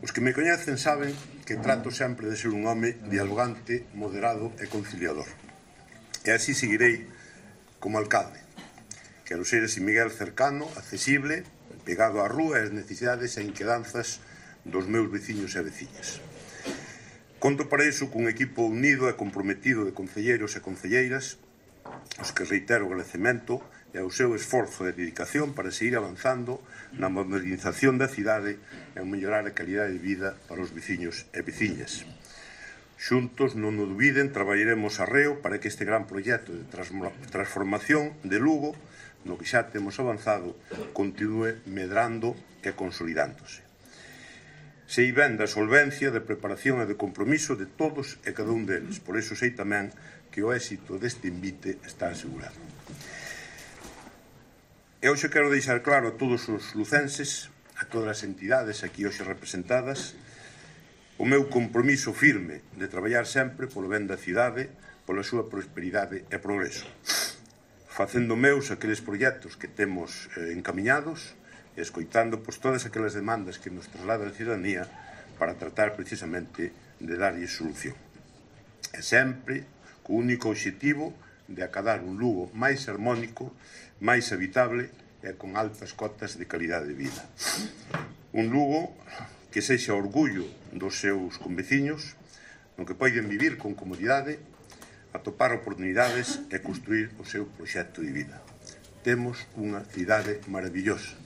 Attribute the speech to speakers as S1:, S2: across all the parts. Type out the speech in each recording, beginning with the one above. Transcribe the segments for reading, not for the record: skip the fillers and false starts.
S1: Os que me coñecen saben que trato sempre de ser un home dialogante, moderado e conciliador. E así seguirei como alcalde. Quero ser ese Miguel cercano, accesible, pegado á rúa e as necesidades e inquedanzas dos meus veciños e veciñas. Conto para iso cun equipo unido e comprometido de concelleiros e concelleiras, os que reitero o agradecemento e ao seu esforzo e dedicación para seguir avanzando na modernización da cidade e a mellorar a calidade de vida para os veciños e veciñas. Xuntos, non o dubiden, traballaremos arreo para que este gran proxecto de transformación de Lugo, no que xa temos avanzado, continúe medrando e consolidándose. Sei ben da solvencia, de preparación e de compromiso de todos e cada un deles. Por iso sei tamén que o éxito deste invite está asegurado. E hoxe quero deixar claro a todos os lucenses, a todas as entidades aquí hoxe representadas, o meu compromiso firme de traballar sempre polo ben da cidade, pola súa prosperidade e progreso, facendo meus aqueles proxectos que temos encamiñados e escoitando todas aquelas demandas que nos traslada a ciudadanía para tratar precisamente de darlle solución. E sempre co único obxectivo de acadar un Lugo máis harmónico, máis habitable e con altas cotas de calidade de vida. Un Lugo que sexa orgullo dos seus conveciños, no que poden vivir con comodidade, atopar oportunidades e construir o seu proxecto de vida. Temos unha cidade maravillosa.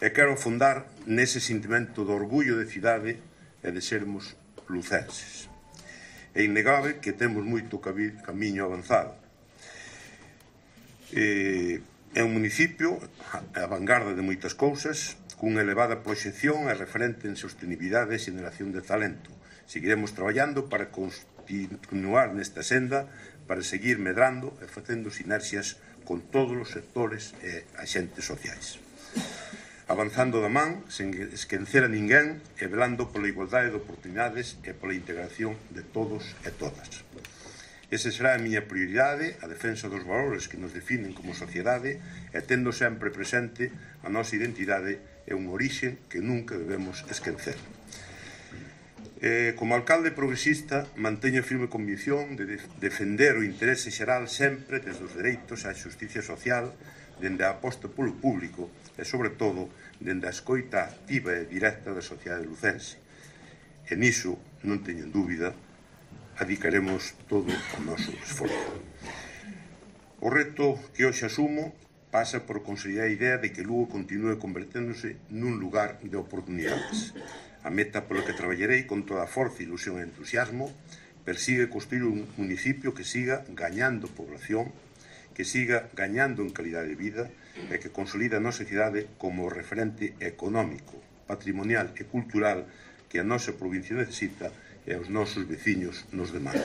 S1: E quero afondar nese sentimento de orgullo de cidade e de sermos lucenses. É innegable que temos moito camiño avanzado. É un municipio a vanguarda de moitas cousas, cunha elevada proxección e referente en sostenibilidade e xeneración de talento. Seguiremos traballando para continuar nesta senda, para seguir medrando e facendo sinerxias con todos os sectores e axentes sociais. Avanzando da man, sen esquecer a ninguén e velando pola igualdade de oportunidades e pola integración de todos e todas. Esa será a miña prioridade, a defensa dos valores que nos definen como sociedade e tendo sempre presente a nosa identidade e un orixe que nunca debemos esquecer. Como alcalde progresista, manteño firme convicción de defender o interese xeral sempre desde os dereitos á xusticia social, dende a aposta polo público e, sobre todo, dende a escoita activa e directa da sociedade lucense. E niso, non teñen dúbida, adicaremos todo o noso esforzo. O reto que hoxe asumo pasa por consolidar a idea de que Lugo continúe converténdose nun lugar de oportunidades. A meta pola que traballarei con toda a forza, ilusión e entusiasmo persigue construir un municipio que siga gañando población, que siga gañando en calidade de vida e que consolida a nosa cidade como referente económico, patrimonial e cultural que a nosa provincia necesita e aos nosos veciños nos demandan.